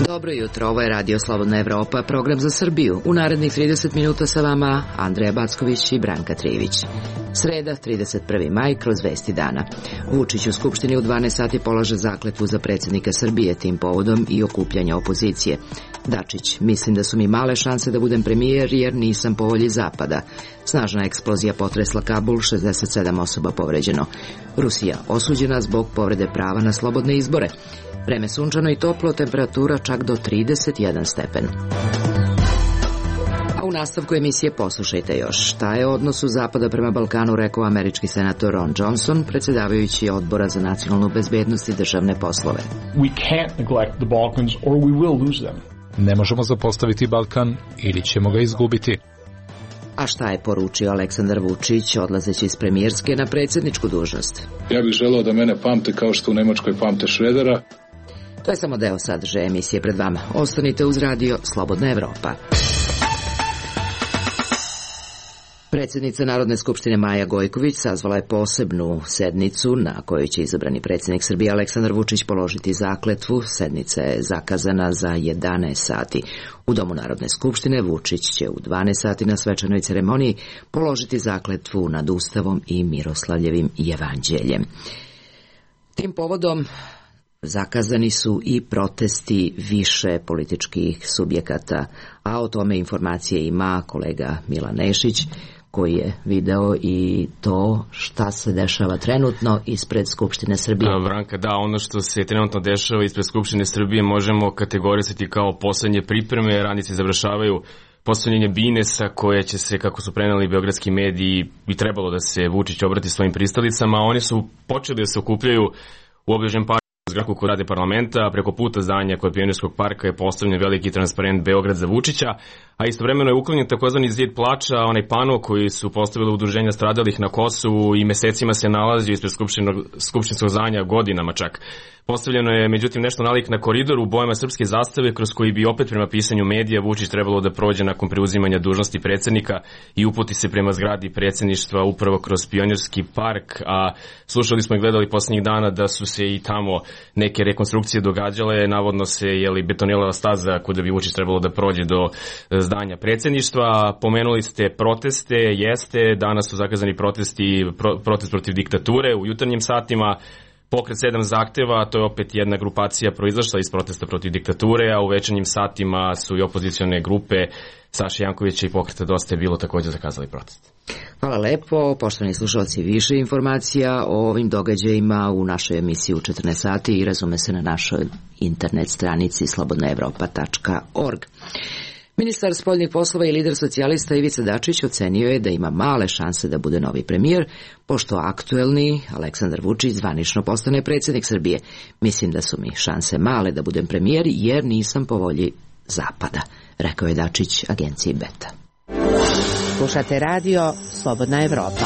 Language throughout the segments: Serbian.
Dobro jutro, ovo je Radio Slobodna Evropa, program za Srbiju. U narednih 30 minuta sa vama Andreja Backović i Branka Trijević. Sreda, 31. maj, kroz vesti dana. Vučić u Skupštini u 12 sati polaže zakletvu za predsjednika Srbije, tim povodom i okupljanja opozicije. Dačić, mislim da su mi male šanse da budem premijer jer nisam po volji Zapada. Snažna eksplozija potresla Kabul, 67 osoba povređeno. Rusija osuđena zbog povrede prava na slobodne izbore. Vreme sunčano i toplo, temperatura čak do 31 stepen. A u nastavku emisije poslušajte još šta je o odnosu Zapada prema Balkanu rekao američki senator Ron Johnson, predsjedavajući Odbora za nacionalnu bezbednost i državne poslove. We can't neglect the Balkans or we will lose them. Ne možemo zapostaviti Balkan ili ćemo ga izgubiti. A šta je poručio Aleksandar Vučić odlazeći iz premijerske na predsjedničku dužnost? Ja bih želeo da mene pamte kao što u Nemačkoj pamte Šredera. To je samo deo sadržaja emisije pred vama. Ostanite uz Radio Slobodna Evropa. Predsjednica Narodne skupštine Maja Gojković sazvala je posebnu sednicu na kojoj će izabrani predsjednik Srbije Aleksandar Vučić položiti zakletvu. Sednica je zakazana za 11 sati. U Domu Narodne skupštine Vučić će u 12 sati na svečanoj ceremoniji položiti zakletvu nad Ustavom i Miroslavljevim jevanđeljem. Tim povodom zakazani su i protesti više političkih subjekata, a o tome informacije ima kolega Milan Nešić, koji je video i to šta se dešava trenutno ispred Skupštine Srbije. Branka, da, ono što se trenutno dešava ispred Skupštine Srbije možemo kategorisati kao poslednje pripreme, radnici završavaju postavljanje binesa koje će se, kako su preneli beogradski mediji, bi trebalo da se Vučić obrati svojim pristalicama. Oni su počeli da se okupljaju u obližnjem parku zgradu kod rade parlamenta, preko puta zdanja kod Pionirskog parka je postavljen veliki transparent Beograd za Vučića, a istovremeno je uklonjen takozvani zid plača, onaj pano koji su postavili udruženja stradalih na Kosovu i mesecima se nalazio ispred skupštinskog zdanja, godinama čak. Postavljeno je, međutim, nešto nalik na koridoru u bojama srpske zastave, kroz koji bi opet prema pisanju medija Vučić trebalo da prođe nakon preuzimanja dužnosti predsjednika i uputi se prema zgradi predsjedništva upravo kroz Pionirski park, a slušali smo i gledali posljednjih dana da su se i tamo neke rekonstrukcije događale, navodno se betonirala staza kuda bi Vučić trebalo da prođe do zdanja predsjedništva. Pomenuli ste proteste, jeste, danas su zakazani protest protiv diktature u jutarnjim satima. Pokret 7 zahteva, to je opet jedna grupacija proizašla iz protesta protiv diktature, a u večernjim satima su i opozicione grupe Saše Jankovića i Pokreta Dosta je bilo također zakazali protest. Hvala lepo, poštovani slušalci, više informacija o ovim događajima u našoj emisiji u 14 sati i razume se na našoj internet stranici slobodnaevropa.org. Ministar spoljnih poslova i lider socijalista Ivica Dačić ocenio je da ima male šanse da bude novi premijer, pošto aktuelni Aleksandar Vučić zvanično postane predsjednik Srbije. Mislim da su mi šanse male da budem premijer jer nisam po volji Zapada, rekao je Dačić agenciji Beta. Slušate Radio Slobodna Evropa.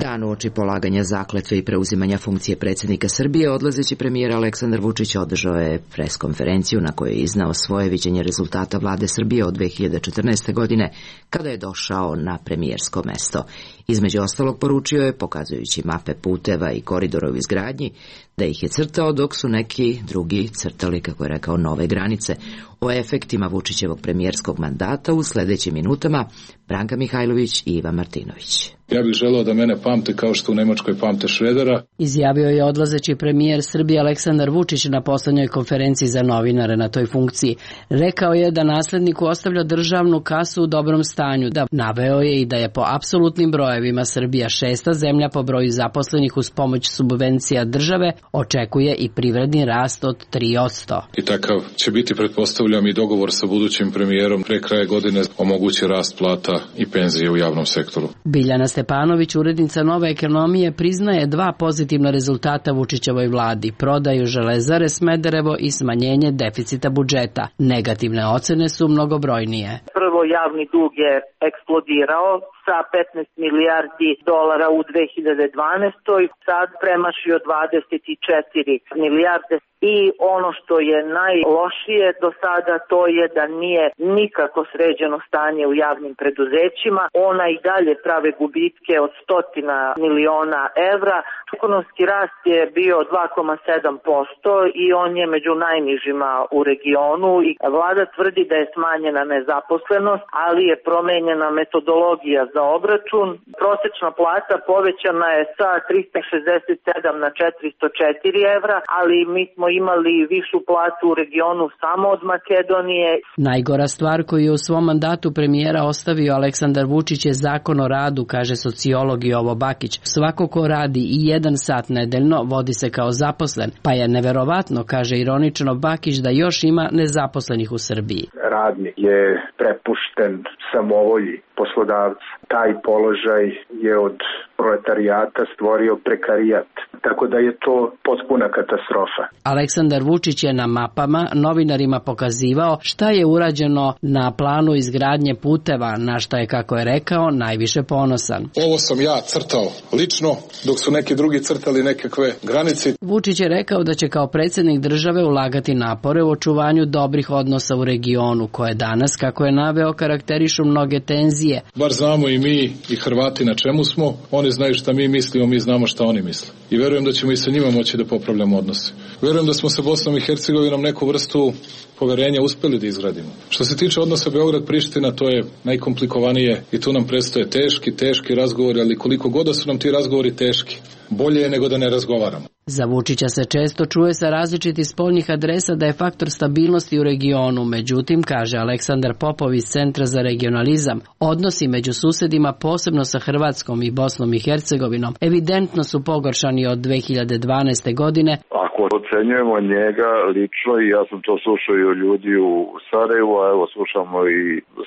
Dan uoči polaganja zakletve i preuzimanja funkcije predsjednika Srbije, odlazeći premijer Aleksandar Vučić održao je preskonferenciju na kojoj je iznao svoje viđenje rezultata vlade Srbije od 2014. godine, kada je došao na premijersko mesto. Između ostalog poručio je, pokazujući mape puteva i koridora u izgradnji, da ih je crtao dok su neki drugi crtali, kako je rekao, nove granice. O efektima Vučićevog premijerskog mandata u sljedećim minutama Branka Mihajlović i Iva Martinović. Ja bih želeo da mene pamte kao što u Nemačkoj pamte Šredera. Izjavio je odlazeći premijer Srbije Aleksandar Vučić na poslednjoj konferenciji za novinare na toj funkciji. Rekao je da nasledniku ostavlja državnu kasu u dobrom stanju. Naveo je i da je po apsolutnim brojevima Srbija 6. zemlja po broju zaposlenih uz pomoć subvencija države, očekuje i privredni rast od 3%. I takav će biti, pretpostavljam, i dogovor sa budućim premijerom pre kraja godine omogući rast plata i penzije u javnom sektoru. Biljana Stepanović, urednica Nove ekonomije, priznaje dva pozitivna rezultata Vučićevoj vladi: prodaju Železare Smederevo i smanjenje deficita budžeta. Negativne ocene su mnogobrojnije. Prvo prvo javni dug je eksplodirao sa 15 milijardi dolara u 2012. sad premašio 24 milijarde. I ono što je najlošije do sada, to je da nije nikako sređeno stanje u javnim preduzećima. Ona i dalje prave gubitke od 100 miliona evra. Ekonomski rast je bio 2,7% i on je među najnižima u regionu. I vlada tvrdi da je smanjena nezaposlenost, ali je promenjena metodologija za obračun. Prosečna plata povećana je sa 367 na 404 evra, ali mi smo imali višu platu u regionu samo od Makedonije. Najgora stvar koju je u svom mandatu premijera ostavio Aleksandar Vučić je zakon o radu, kaže sociolog Jovo Bakić. Svako ko radi i 1 sat nedeljno vodi se kao zaposlen, pa je neverovatno, kaže ironično Bakić, da još ima nezaposlenih u Srbiji. Radnik je prepušten samovolji poslodavca. Taj položaj je od proletarijata stvorio prekarijat. Tako da je to potpuna katastrofa. Aleksandar Vučić je na mapama novinarima pokazivao šta je urađeno na planu izgradnje puteva, na šta je, kako je rekao, najviše ponosan. Ovo sam ja crtao lično, dok su neki drugi crtali nekakve granice. Vučić je rekao da će kao predsjednik države ulagati napore u očuvanju dobrih odnosa u regionu, koje danas, kako je naveo, karakterišu mnoge tenzije. Bar znamo i mi i Hrvati na čemu smo, oni znaju šta mi mislimo, mi znamo šta oni misle. I verujem da ćemo i sa njima moći da popravljamo odnose. Verujem da smo sa Bosnom i Hercegovinom neku vrstu poverenja uspeli da izgradimo. Što se tiče odnosa Beograd-Priština, to je najkomplikovanije i tu nam predstoje teški razgovori, ali koliko god da su nam ti razgovori teški, bolje je nego da ne razgovaramo. Za Vučića se često čuje sa različitih spoljnih adresa da je faktor stabilnosti u regionu, međutim, kaže Aleksandar Popov iz Centra za regionalizam, odnosi među susedima, posebno sa Hrvatskom i Bosnom i Hercegovinom, evidentno su pogoršani od 2012. godine. Ako ocenjujemo njega lično, i ja sam to slušao i od ljudi u Sarajevu, a evo slušamo i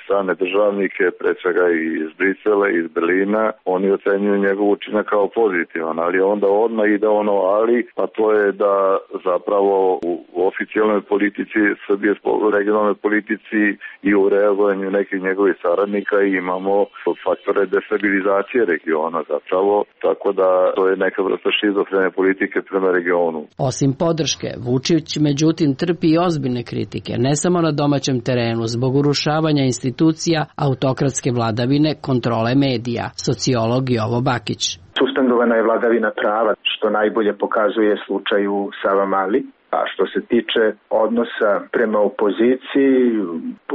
strane državnike, pre svega i iz Brisela, iz Berlina, oni ocenjuju njegov učinak kao pozitivan, ali onda odmah ide ono a to je da zapravo u oficijalnoj politici Srbije, regionalnoj politici i u reagovanju nekih njegovih saradnika imamo faktore destabilizacije regiona zapravo, tako da to je neka vrsta šizofrene politike prema regionu. Osim podrške, Vučić međutim trpi i ozbiljne kritike, ne samo na domaćem terenu, zbog urušavanja institucija, autokratske vladavine, kontrole medija. Sociolog Jovo Bakić. Suspendovana je vladavina prava, što najbolje pokazuje slučaj u Savamali. A što se tiče odnosa prema opoziciji,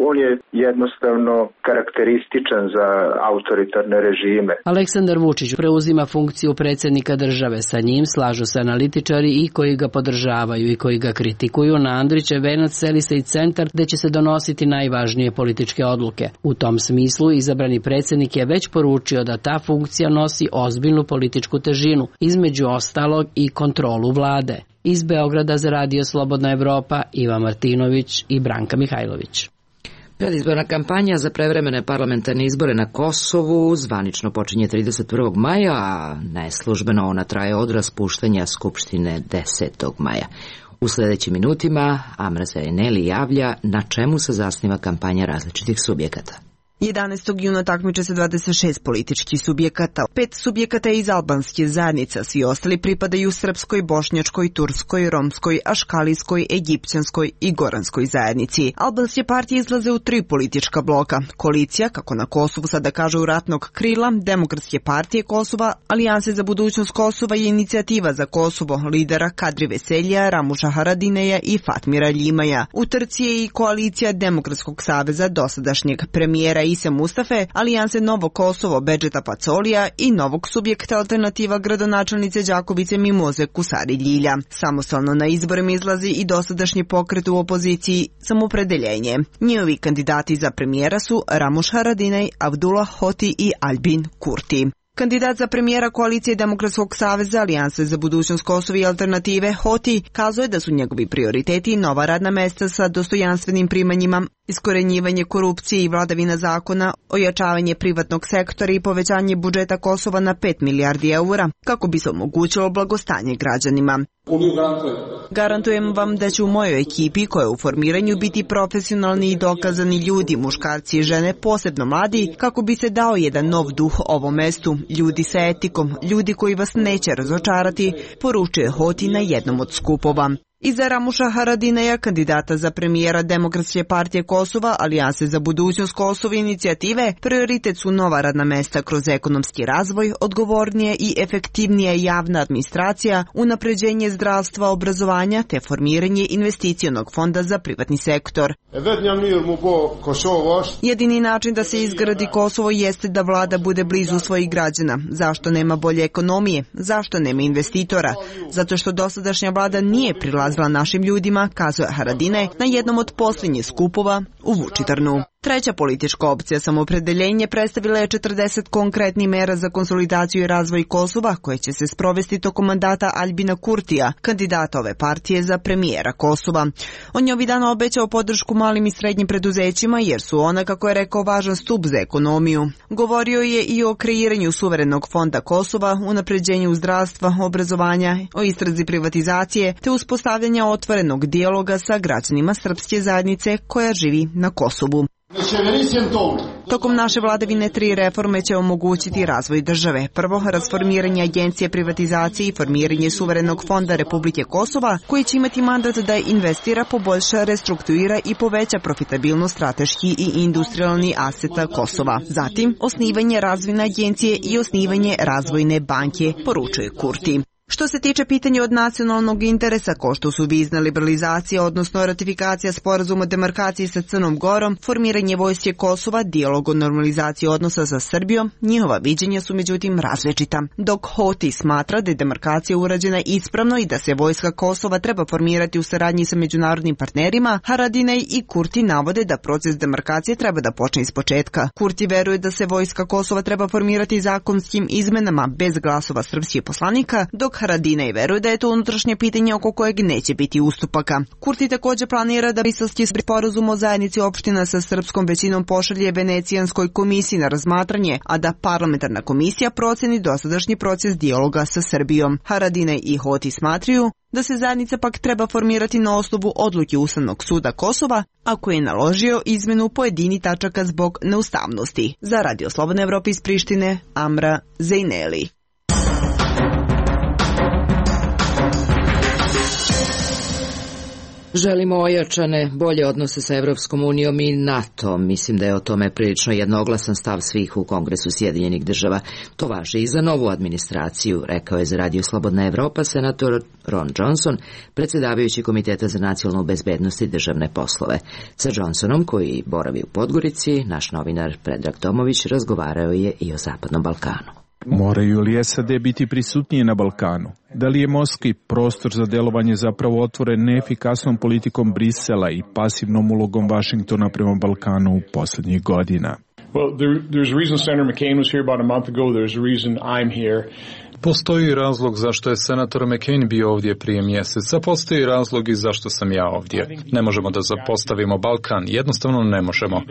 on je jednostavno karakterističan za autoritarne režime. Aleksandar Vučić preuzima funkciju predsjednika države. Sa njim slažu se analitičari i koji ga podržavaju i koji ga kritikuju. Na Andrićev venac seli se i centar gde će se donositi najvažnije političke odluke. U tom smislu izabrani predsjednik je već poručio da ta funkcija nosi ozbiljnu političku težinu, između ostalog i kontrolu vlade. Iz Beograda za Radio Slobodna Evropa, Iva Martinović i Branka Mihajlović. Predizborna kampanja za prevremene parlamentarne izbore na Kosovu zvanično počinje 31. maja, a neslužbeno ona traje od raspuštanja Skupštine 10. maja. U sljedećim minutima Amra Sereneli javlja na čemu se zasniva kampanja različitih subjekata. 11. juna takmiče se 26 političkih subjekata. 5 subjekata je iz albanske zajednice, svi ostali pripadaju srpskoj, bošnjačkoj, turskoj, romskoj, aškalijskoj, egipćanskoj i goranskoj zajednici. Albanske partije izlaze u 3 politička bloka. Koalicija, kako na Kosovu sada kažu ratnog krila, Demokratske partije Kosova, Alijanse za budućnost Kosova i Inicijativa za Kosovo, lidera Kadri Veselja, Ramuša Haradineja i Fatmira Ljimaja. U trci je i koalicija Demokratskog saveza dosadašnjeg premijera Ise Mustafe, Alijanse Novo Kosovo Bedžeta Pacolija i novog subjekta Alternativa gradonačelnice Đakovice Mimoze Kusari Ljilja. Samostalno na izborima izlazi i dosadašnji pokret u opoziciji Samopredeljenje. Njihovi kandidati za premijera su Ramuš Haradinaj, Abdullah Hoti i Albin Kurti. Kandidat za premijera koalicije Demokratskog saveza, Alijanse za budućnost Kosova i alternative, Hoti, kazuje da su njegovi prioriteti nova radna mesta sa dostojanstvenim primanjima, iskorenjivanje korupcije i vladavina zakona, ojačavanje privatnog sektora i povećanje budžeta Kosova na 5 milijardi eura, kako bi se omogućilo blagostanje građanima. Garantujem vam da će u mojoj ekipi, koja je u formiranju, biti profesionalni i dokazani ljudi, muškarci i žene, posebno mladi, kako bi se dao jedan nov duh ovom mestu, ljudi sa etikom, ljudi koji vas neće razočarati, poručuje Hoti na jednom od skupova. Iza Ramuša Haradineja, kandidata za premijera Demokratske partije Kosova, Alijanse za budućnost Kosova i inicijative, prioritet su nova radna mesta kroz ekonomski razvoj, odgovornije i efektivnija javna administracija, unapređenje zdravstva, obrazovanja te formiranje investicionog fonda za privatni sektor. Jedini način da se izgradi Kosovo jeste da vlada bude blizu svojih građana. Zašto nema bolje ekonomije? Zašto nema investitora? Zato što dosadašnja vlada nije prilazila našim ljudima, kazuje Haradinaj na jednom od posljednjih skupova u Vučitrnu. Treća politička opcija Samoopredeljenje predstavila je 40 konkretnih mera za konsolidaciju i razvoj Kosova koje će se sprovesti tokom mandata Aljbina Kurtija, kandidata ove partije za premijera Kosova. On je ovih dana obećao podršku malim i srednjim preduzećima jer su ona, kako je rekao, važan stup za ekonomiju. Govorio je i o kreiranju suverenog fonda Kosova, unapređenju zdravstva, obrazovanja, o istrazi privatizacije te uspostavljanja otvorenog dijaloga sa građanima srpske zajednice koja živi na Kosovu. Tokom naše vladavine 3 reforme će omogućiti razvoj države. Prvo, rasformiranje agencije privatizacije i formiranje suverenog fonda Republike Kosova, koji će imati mandat da investira, poboljša, restrukturira i poveća profitabilnost strateški i industrijalni aseta Kosova. Zatim, osnivanje razvojne agencije i osnivanje razvojne banke, poručuje Kurti. Što se tiče pitanja od nacionalnog interesa, kao što su vizna liberalizacija, odnosno ratifikacija sporazuma o demarkaciji sa Crnom Gorom, formiranje vojske Kosova, dijalog o normalizaciji odnosa sa Srbijom, njihova viđenja su međutim različita. Dok Hoti smatra da je demarkacija urađena ispravno i da se vojska Kosova treba formirati u saradnji sa međunarodnim partnerima, Haradinaj i Kurti navode da proces demarkacije treba da počne iz početka. Kurti veruje da se vojska Kosova treba formirati zakonskim izmenama bez glasova srpskih poslanika, dok Haradinaj veruje da je to unutrašnje pitanje oko kojeg neće biti ustupaka. Kurti također planira da briselski sporazum o zajednici opština sa srpskom većinom pošalje Venecijanskoj komisiji na razmatranje, a da parlamentarna komisija proceni dosadašnji proces dijaloga sa Srbijom. Haradinaj i Hoti smatraju da se zajednica pak treba formirati na osnovu odluke Ustavnog suda Kosova, ako je naložio izmenu pojedini tačaka zbog neustavnosti. Za Radio Slobodna Evropa iz Prištine, Amra Zejneli. Želimo ojačane, bolje odnose sa Evropskom unijom i NATO. Mislim da je o tome prilično jednoglasan stav svih u Kongresu Sjedinjenih država. To važi i za novu administraciju, rekao je za Radio Slobodna Evropa senator Ron Johnson, predsjedavajući Komiteta za nacionalnu bezbednost i državne poslove. Sa Johnsonom, koji boravi u Podgorici, naš novinar Predrag Tomović razgovarao je i o Zapadnom Balkanu. Moraju li SAD biti prisutnije na Balkanu? Da li je morski prostor za delovanje zapravo otvoren neefikasnom politikom Brisela i pasivnom ulogom Vašingtona prema Balkanu u posljednjih godina? Well, there's a reason Senator McCain was here about a month ago. There's a reason I'm here. Postoji razlog zašto je senator McCain bio ovdje prije mjeseca, postoji razlog i zašto sam ja ovdje. Ne možemo da zapostavimo Balkan, jednostavno ne možemo.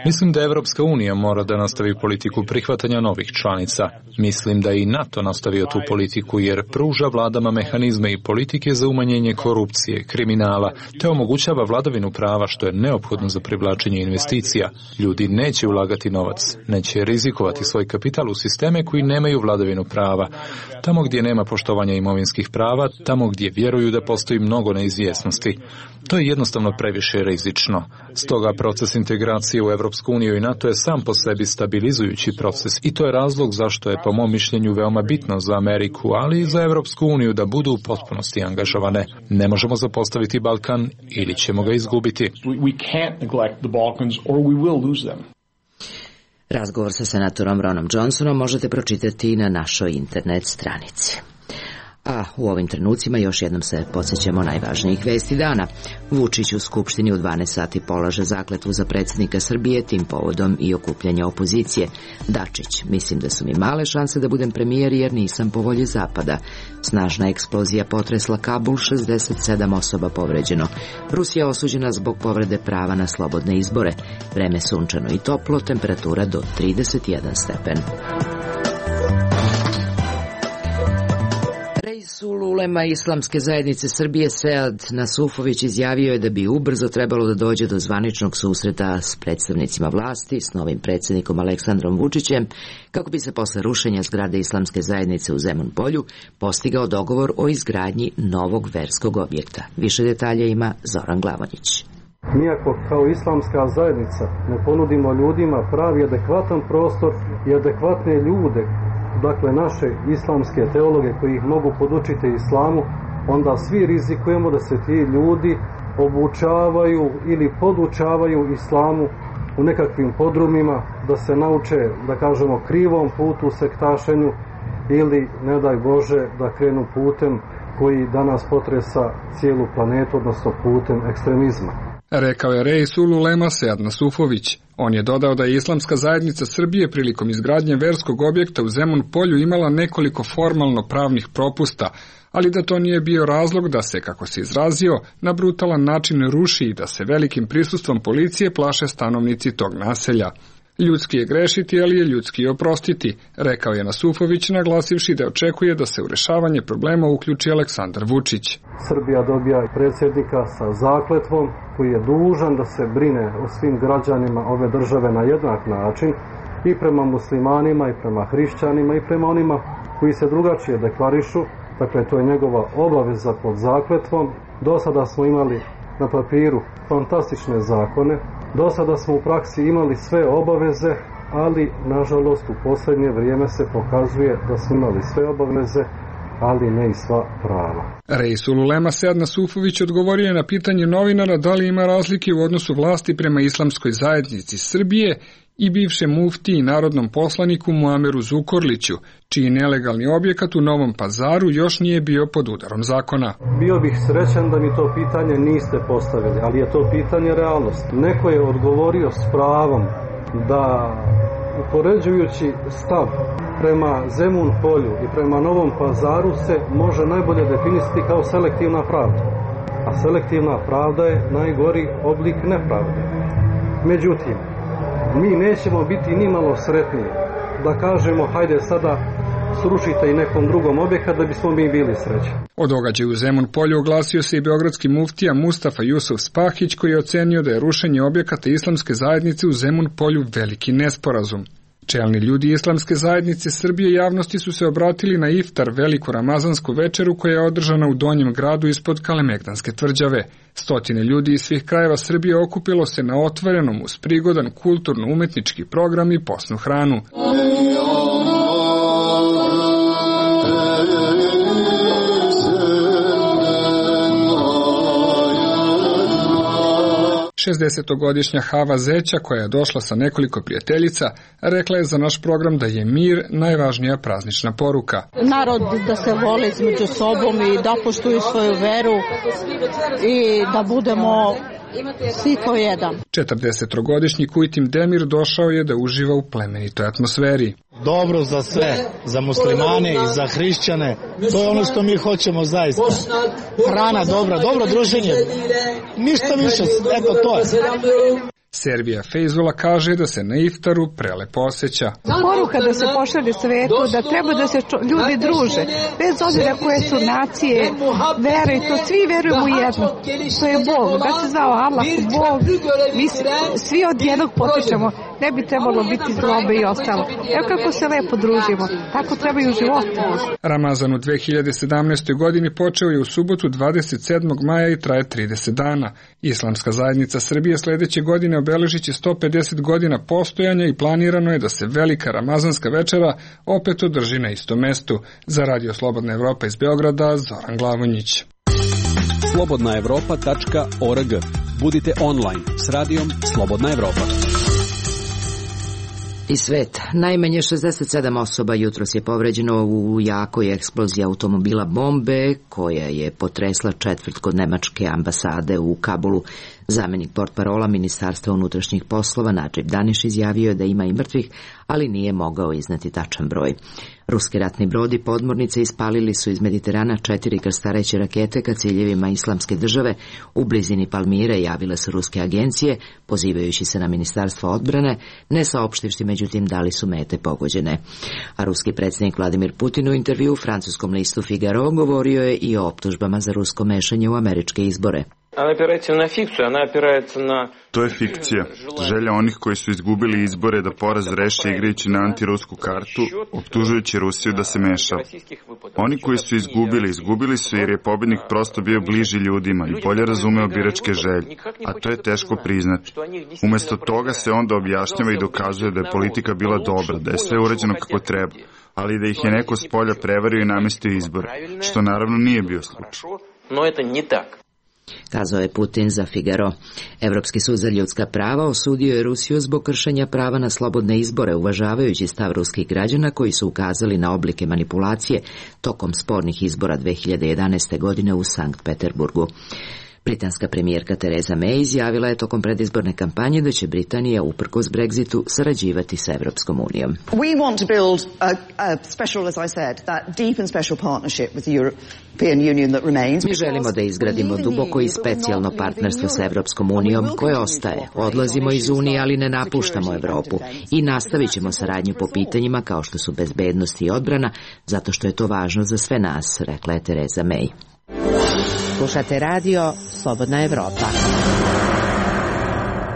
Mislim da Evropska unija mora da nastavi politiku prihvatanja novih članica. Mislim da i NATO nastavio tu politiku jer pruža vladama mehanizme i politike za umanjenje korupcije, kriminala, te omogućava vladavinu prava što je neophodno za privlačenje investicija. Ljudi neće ulagati novac, neće rizikovati svoj kapital u sisteme koji nemaju vladavinu prava. Tamo gdje nema poštovanja imovinskih prava, tamo gdje vjeruju da postoji mnogo neizvjesnosti. To je jednostavno previše rizično. Stoga proces integracije u Evropsku uniju i NATO je sam po sebi stabilizujući proces i to je razlog zašto je po mom mišljenju veoma bitno za Ameriku, ali i za Evropsku uniju da budu u potpunosti angažovane. Ne možemo zapostaviti Balkan ili ćemo ga izgubiti. We can't neglect the Balkans or we will lose them. Razgovor sa senatorom Ronom Johnsonom možete pročitati na našoj internet stranici. A u ovim trenucima još jednom se podsjećamo najvažnijih vesti dana. Vučić u Skupštini u 12 sati polaže zakletvu za predsjednika Srbije, tim povodom i okupljanja opozicije. Dačić: mislim da su mi male šanse da budem premijer jer nisam po volji Zapada. Snažna eksplozija potresla Kabul, 67 osoba povređeno. Rusija osuđena zbog povrede prava na slobodne izbore. Vreme sunčano i toplo, temperatura do 31 stepen. Reisul ulema Islamske zajednice Srbije Sead Nasufović izjavio je da bi ubrzo trebalo da dođe do zvaničnog susreta s predstavnicima vlasti, s novim predsjednikom Aleksandrom Vučićem, kako bi se posle rušenja zgrade Islamske zajednice u Zemun Polju postigao dogovor o izgradnji novog verskog objekta. Više detalja ima Zoran Glavonjić. Mi ako kao islamska zajednica ne ponudimo ljudima pravi adekvatan prostor i adekvatne ljude, dakle naše islamske teologe koji ih mogu podučiti islamu, onda svi rizikujemo da se ti ljudi obučavaju ili podučavaju islamu u nekakvim podrumima, da se nauče, da kažemo, krivom putu, sektašenju, ili, ne daj Bože, da krenu putem koji danas potresa cijelu planetu, odnosno putem ekstremizma. Rekao je Reisul ulema Sead Nasufović. On je dodao da je Islamska zajednica Srbije prilikom izgradnje verskog objekta u Zemun Polju imala nekoliko formalno pravnih propusta, ali da to nije bio razlog da se, kako se izrazio, na brutalan način ruši i da se velikim prisustvom policije plaše stanovnici tog naselja. Ljudski je grešiti, ali je ljudski i oprostiti, rekao je Nasufović, naglasivši da očekuje da se u rešavanje problema uključi Aleksandar Vučić. Srbija dobija predsjednika sa zakletvom koji je dužan da se brine o svim građanima ove države na jednak način, i prema muslimanima, i prema hrišćanima, i prema onima koji se drugačije deklarišu. Dakle, to je njegova obaveza pod zakletvom. Do sada smo imali na papiru fantastične zakone, do sada smo u praksi imali sve obaveze, ali nažalost u posljednje vrijeme se pokazuje da smo imali sve obaveze, ali ne i sva prava. Reisul ulema Sead Nasufović odgovorio je na pitanje novinara da li ima razlike u odnosu vlasti prema Islamskoj zajednici Srbije i bivšem mufti i narodnom poslaniku Muameru Zukorliću, čiji nelegalni objekat u Novom Pazaru još nije bio pod udarom zakona. Bio bih srećan da mi to pitanje niste postavili, ali je to pitanje realnosti. Neko je odgovorio s pravom da, upoređujući stav prema Zemun Polju i prema Novom Pazaru, se može najbolje definisati kao selektivna pravda. A selektivna pravda je najgori oblik nepravde. Međutim, mi nećemo biti ni malo sretniji da kažemo hajde sada srušite i nekom drugom objekat da bismo mi bili srećni. O događaju u Zemun Polju oglasio se i beogradski muftija Mustafa Jusuf Spahić, koji je ocenio da je rušenje objekata Islamske zajednice u Zemun Polju veliki nesporazum. Čelni ljudi Islamske zajednice Srbije javnosti su se obratili na iftar, veliku ramazansku večeru koja je održana u Donjem gradu ispod Kalemegdanske tvrđave. Stotine ljudi iz svih krajeva Srbije okupilo se na otvorenom uz prigodan kulturno-umetnički program i posnu hranu. 60-godišnja Hava Zeća, koja je došla sa nekoliko prijateljica, rekla je za naš program da je mir najvažnija praznična poruka. Narod da se vole između sobom i da poštuju svoju veru i da budemo svi kao jedan. 40-godišnji Kujtim Demir došao je da uživa u plemenitoj atmosferi. Dobro za sve, za muslimane i za hrišćane, to je ono što mi hoćemo zaista. Hrana dobra, dobro druženje, ništa više, eto to je. Servija Fejzula kaže da se na iftaru prelepo osjeća. Poruka da se pošalje svetu, da treba da se ljudi druže, bez obzira koje su nacije, vere, to svi verujemo u jedno. To je Bog, da se zvao Allah, Bog, mi svi od jednog potičemo, ne bi trebalo biti zlobe i ostalo. Evo kako se lepo družimo, tako treba i u životu. Ramazan u 2017. godini počeo je u subotu 27. maja i traje 30 dana. Islamska zajednica Srbije sledeće godine obeležit će 150 godina postojanja i planirano je da se velika ramazanska večera opet održi na istom mestu. Za Radio Slobodna Evropa iz Beograda, Zoran Glavonjić. slobodnaevropa.org. Budite online s radijom Slobodna Evropa. I svet. Najmanje 67 osoba jutros je povređeno u jakoj eksploziji automobila bombe koja je potresla četvrt kod nemačke ambasade u Kabulu. Zamenik portparola Ministarstva unutrašnjih poslova Nadžib Daniš izjavio je da ima i mrtvih, ali nije mogao izneti tačan broj. Ruski ratni brodi podmornice ispalili su iz Mediterana 4 krstareće rakete ka ciljevima Islamske države u blizini Palmire, javile su ruske agencije, pozivajući se na Ministarstvo odbrane, ne saopštivši međutim da li su mete pogođene. A ruski predsjednik Vladimir Putin u intervju u francuskom listu Figaro govorio je i o optužbama za rusko mešanje u američke izbore. To je fikcija. Želja onih koji su izgubili izbore da poraz reše igrajući na antirusku kartu, optužujući Rusiju da se meša. Oni koji su izgubili su jer je pobednik prosto bio bliži ljudima i bolje razumeo biračke želje, a to je teško priznati. Umesto toga se onda objašnjava i dokazuje da je politika bila dobra, da je sve urađeno kako treba, ali da ih je neko s polja prevario i namestio izbore, što naravno nije bio slučaj. Kazao je Putin za Figaro. Evropski sud za ljudska prava osudio je Rusiju zbog kršenja prava na slobodne izbore, uvažavajući stav ruskih građana koji su ukazali na oblike manipulacije tokom spornih izbora 2011. godine u Sankt Peterburgu. Britanska premijerka Theresa May izjavila je tokom predizborne kampanje da će Britanija, uprkos Brexitu, sarađivati sa Evropskom unijom. We want to build a special, as I said, that deep and special partnership with the European Union that remains. Mi želimo da izgradimo duboko i specijalno partnerstvo sa Evropskom unijom koje ostaje. Odlazimo iz Unije, ali ne napuštamo Evropu. I nastavit ćemo saradnju po pitanjima kao što su bezbednost i odbrana, zato što je to važno za sve nas, rekla je Theresa May. Slušate radio Slobodna Evropa.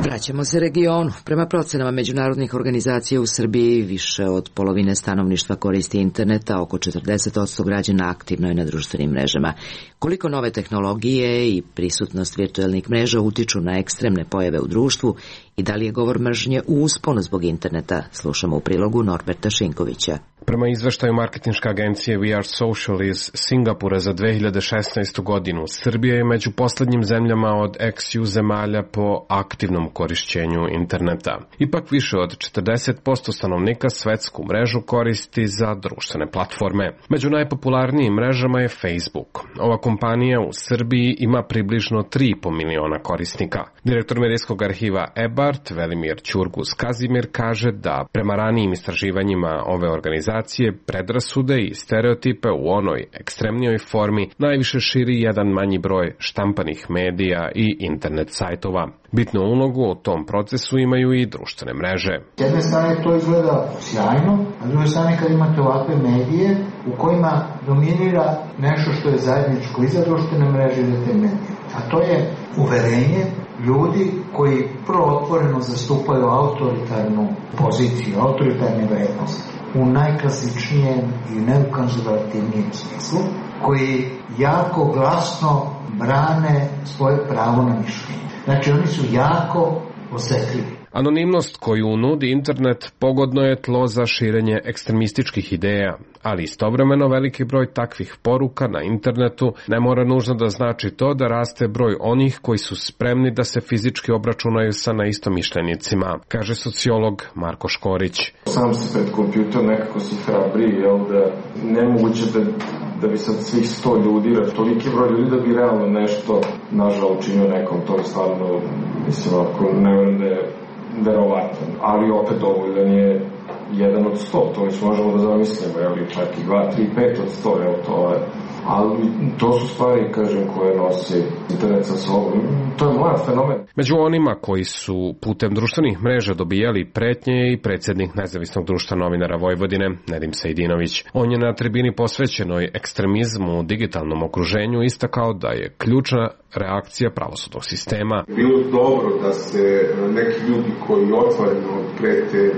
Vraćamo se regionu. Prema procenama međunarodnih organizacija u Srbiji više od polovine stanovništva koristi interneta, oko 40% građana aktivno je na društvenim mrežama. Koliko nove tehnologije i prisutnost virtuelnih mreža utiču na ekstremne pojave u društvu i da li je govor mržnje u usponu zbog interneta, slušamo u prilogu Norberta Šinkovića. Prema izveštaju marketinške agencije We Are Social iz Singapura za 2016. godinu, Srbija je među poslednjim zemljama od ex-EU zemalja po aktivnom korišćenju interneta. Ipak više od 40% stanovnika svetsku mrežu koristi za društvene platforme. Među najpopularnijim mrežama je Facebook. Ova kompanija u Srbiji ima približno 3,5 miliona korisnika. Direktor medijskog arhiva EBART, Velimir Ćurgus-Kazimir, kaže da prema ranijim istraživanjima ove organizacije predrasude i stereotipe u onoj ekstremnijoj formi najviše širi jedan manji broj štampanih medija i internet sajtova. Bitnu ulogu u tom procesu imaju i društvene mreže. S jedne strane to izgleda sjajno, a s druge strane kad imate ovakve medije u kojima dominira nešto što je zajedničko i za društvene mreže i za te medije. A to je uverenje ljudi koji prvo otvoreno zastupaju autoritarnu poziciju, autoritarne vrednosti u najklasičnijem i najkonzervativnijem smislu, koji jako glasno brane svoje pravo na mišljenje. Znači oni su jako osetljivi. Anonimnost koju nudi internet pogodno je tlo za širenje ekstremističkih ideja, ali istovremeno veliki broj takvih poruka na internetu ne mora nužno da znači to da raste broj onih koji su spremni da se fizički obračunaju sa neistomišljenicima, kaže sociolog Marko Škorić. Sam si pred kompjuter, nekako si hrabri, da nemoguće da bi sad svih 100 ljudi, toliki broj ljudi da bi realno nešto nažal učinio nekom, to je stvarno, mislim, ako ne verujem da je verovatan, ali opet dovoljan je 1 od 100, to već možemo da zamislimo, čak i 2, 3, 5 od 100, to je, ali to su stvari, kažem, koje nosi internet sa sobom. To je mlad fenomen. Među onima koji su putem društvenih mreža dobijali pretnje je i predsjednik Nezavisnog društva novinara Vojvodine, Nedim Sejdinović. On je na tribini posvećenoj ekstremizmu u digitalnom okruženju istakao da je ključna reakcija pravosudnog sistema. Bilo dobro da se neki ljudi koji otvoreno prete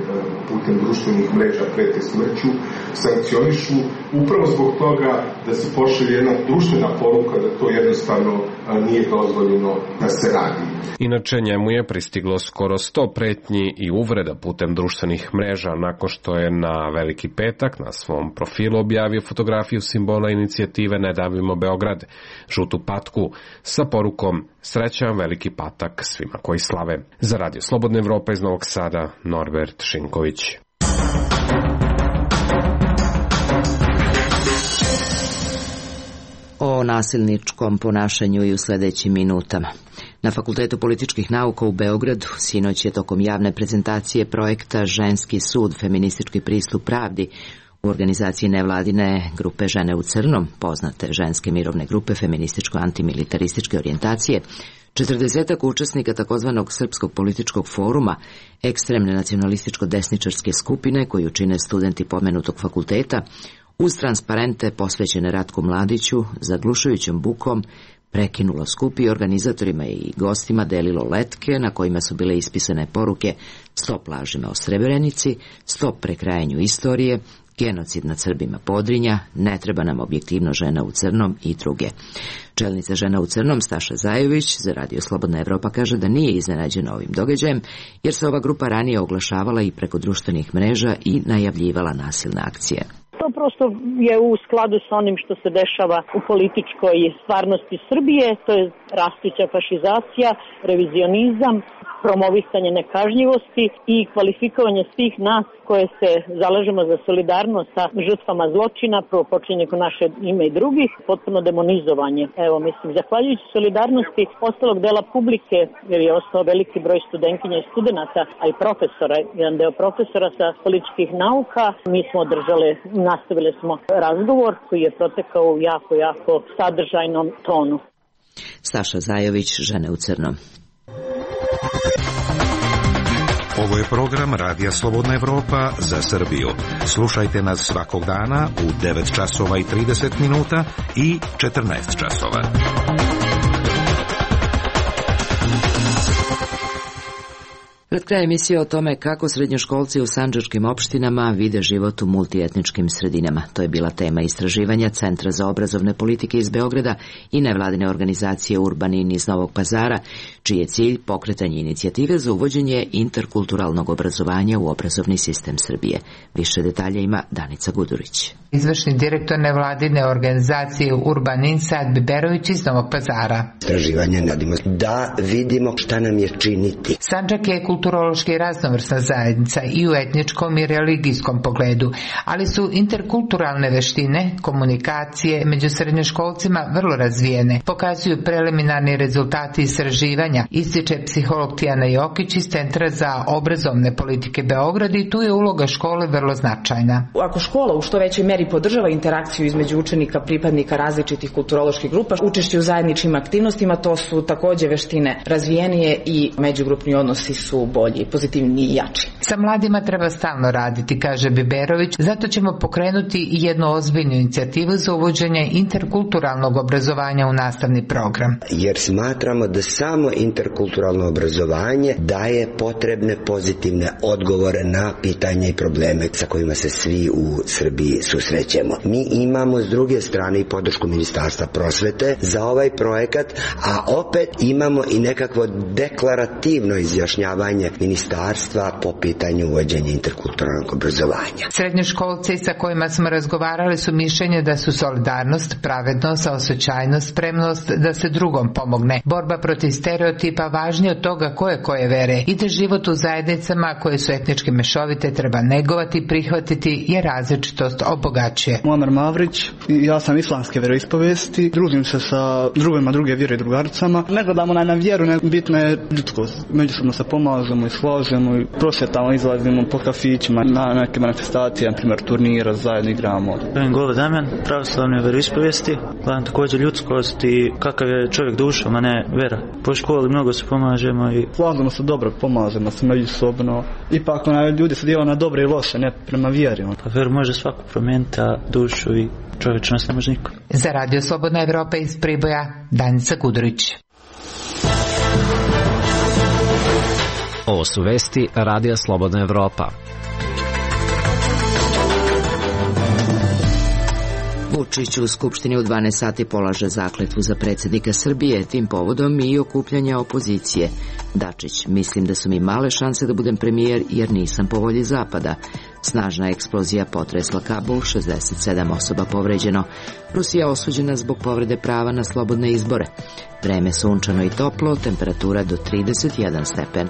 putem društvenih mreža, prete smrću, sankcionišu upravo zbog toga da se pošalje jedna društvena poruka da to jednostavno nije dozvoljeno da se radi. Inače, njemu je pristiglo skoro 100 pretnji i uvreda putem društvenih mreža nakon što je na Veliki petak na svom profilu objavio fotografiju simbola inicijative Ne davimo Beograd, žutu patku, sa porukom Srećan Veliki patak svima koji slave. Za Radio Slobodna Evropa iz Novog Sada, Norbert Šinković. O nasilničkom ponašanju i u sledećim minutama. Na Fakultetu političkih nauka u Beogradu sinoć je tokom javne prezentacije projekta Ženski sud, feministički pristup pravdi u organizaciji nevladine grupe Žene u crnom, poznate ženske mirovne grupe feminističko-antimilitarističke orijentacije, 40 učesnika takozvanog Srpskog političkog foruma, ekstremne nacionalističko-desničarske skupine koju čine studenti pomenutog fakulteta, uz transparente posvećene Ratku Mladiću, zaglušujućom bukom, prekinulo skup i organizatorima i gostima delilo letke na kojima su bile ispisane poruke stop lažima o Srebrenici, stop prekrajanju istorije, genocid nad Srbima Podrinja, ne treba nam objektivno žena u crnom i druge. Čelnica Žena u crnom Staša Zajović za Radio Slobodna Evropa kaže da nije iznenađena ovim događajem, jer se ova grupa ranije oglašavala i preko društvenih mreža i najavljivala nasilne akcije. To prosto je u skladu sa onim što se dešava u političkoj stvarnosti Srbije, to je rastuća fašizacija, revizionizam, promovisanje nekažnjivosti i kvalifikovanje svih nas koje se zalažemo za solidarnost sa žrtvama zločina, prvo počinje kod naše ime i drugih, potpuno demonizovanje. Evo, mislim, zahvaljujući solidarnosti ostalog dela publike, jer je ostao veliki broj studentkinja i studenta, a i profesora, jedan deo profesora sa političkih nauka, mi smo održali, nastavili smo razgovor koji je protekao u jako sadržajnom tonu. Staša Zajović, Žene u crnom. Ovo je program Radija Slobodna Evropa za Srbiju. Slušajte nas svakog dana u 9 časova i 30 minuta i 14 časova. Pred kraj emisije o tome kako srednjoškolci u sandžačkim opštinama vide život u multietničkim sredinama. To je bila tema istraživanja Centra za obrazovne politike iz Beograda i nevladine organizacije Urbanin iz Novog Pazara, čiji je cilj pokretanje inicijative za uvođenje interkulturalnog obrazovanja u obrazovni sistem Srbije. Više detalja ima Danica Gudurić. Izvršni direktor nevladine organizacije Urbanin Sad Biberović iz Novog Pazara. Istraživanje radimo da vidimo šta nam je činiti. Sandžak je kulturološki raznovrsna zajednica i u etničkom i religijskom pogledu, ali su interkulturalne veštine, komunikacije među srednjoškolcima vrlo razvijene, pokazuju preliminarni rezultati istraživanja, ističe psiholog Tijana Jokić iz Centra za obrazovne politike Beograd i tu je uloga škole vrlo značajna. Ako škola u što većoj meri podržava interakciju između učenika pripadnika različitih kulturoloških grupa, učešće u zajedničkim aktivnostima, to su takođe veštine razvijenije i međugrupni odnosi su bolji, pozitivniji i jači. Sa mladima treba stalno raditi, kaže Biberović, zato ćemo pokrenuti jednu ozbiljnu inicijativu za uvođenje interkulturalnog obrazovanja u nastavni program. Jer smatramo da samo interkulturalno obrazovanje daje potrebne pozitivne odgovore na pitanje i probleme sa kojima se svi u Srbiji susrećemo. Mi imamo s druge strane i podršku Ministarstva prosvete za ovaj projekat, a opet imamo i nekakvo deklarativno izjašnjavanje ministarstva po pitanju uvođenja interkulturalnog obrazovanja. Srednjoškolci sa kojima smo razgovarali su mišljenje da su solidarnost, pravednost, saosećajnost, spremnost da se drugom pomogne, borba protiv stereotipa važnije od toga koje vere i da život u zajednicama koje su etnički mešovite treba negovati, prihvatiti jer različitost obogaćuje. Muamer Mavrić, ja sam islamske veroispovesti, družim se sa drugima druge vjere i drugaricama. Ne gledamo na vjeru, ne bitno je ljudskost. Međusobno se pomažemo i složimo i prosvjetamo, izlazimo po kafićima na neke manifestacije, na primjer turnira, zajedno igramo. Govo Damjan, pravoslavne veroispovesti, gledam također ljudskost i kakav je čovjek dušom, a ne vera. Po školi mnogo se pomažemo i slažemo se dobro, pomažemo se međusobno. Ipak ljudi se dijela na dobre i loše, ne prema vjeri. Pa veru može svako promijeniti, a dušu i čovječnost ne može niko. Za Radio Slobodna Evropa iz Priboja, Danica Gudurić. Ovo su vesti Radija Slobodna Evropa. Vučić u Skupštini u 12 sati polaže zakletvu za predsjednika Srbije, tim povodom i okupljanja opozicije. Dačić, mislim da su mi male šanse da budem premijer jer nisam po volji Zapada. Snažna eksplozija potresla Kabul, 67 osoba povređeno. Rusija osuđena zbog povrede prava na slobodne izbore. Vreme sunčano i toplo, temperatura do 31 stepen.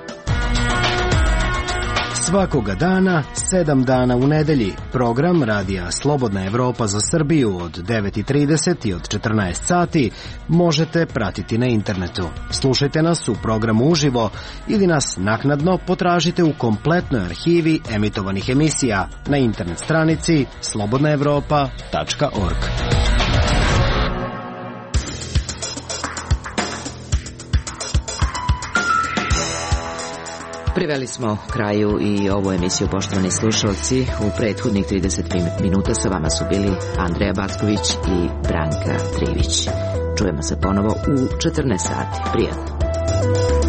Svakoga dana, 7 dana u nedelji, program Radija Slobodna Evropa za Srbiju od 9:30 i od 14 sati možete pratiti na internetu. Slušajte nas u programu uživo ili nas naknadno potražite u kompletnoj arhivi emitovanih emisija na internet stranici slobodnaevropa.org. Priveli smo kraju i ovu emisiju, poštovani slušalci. U prethodnih 30 minuta sa vama su bili Andreja Backović i Branka Trivić. Čujemo se ponovo u 14 sati. Prijatno.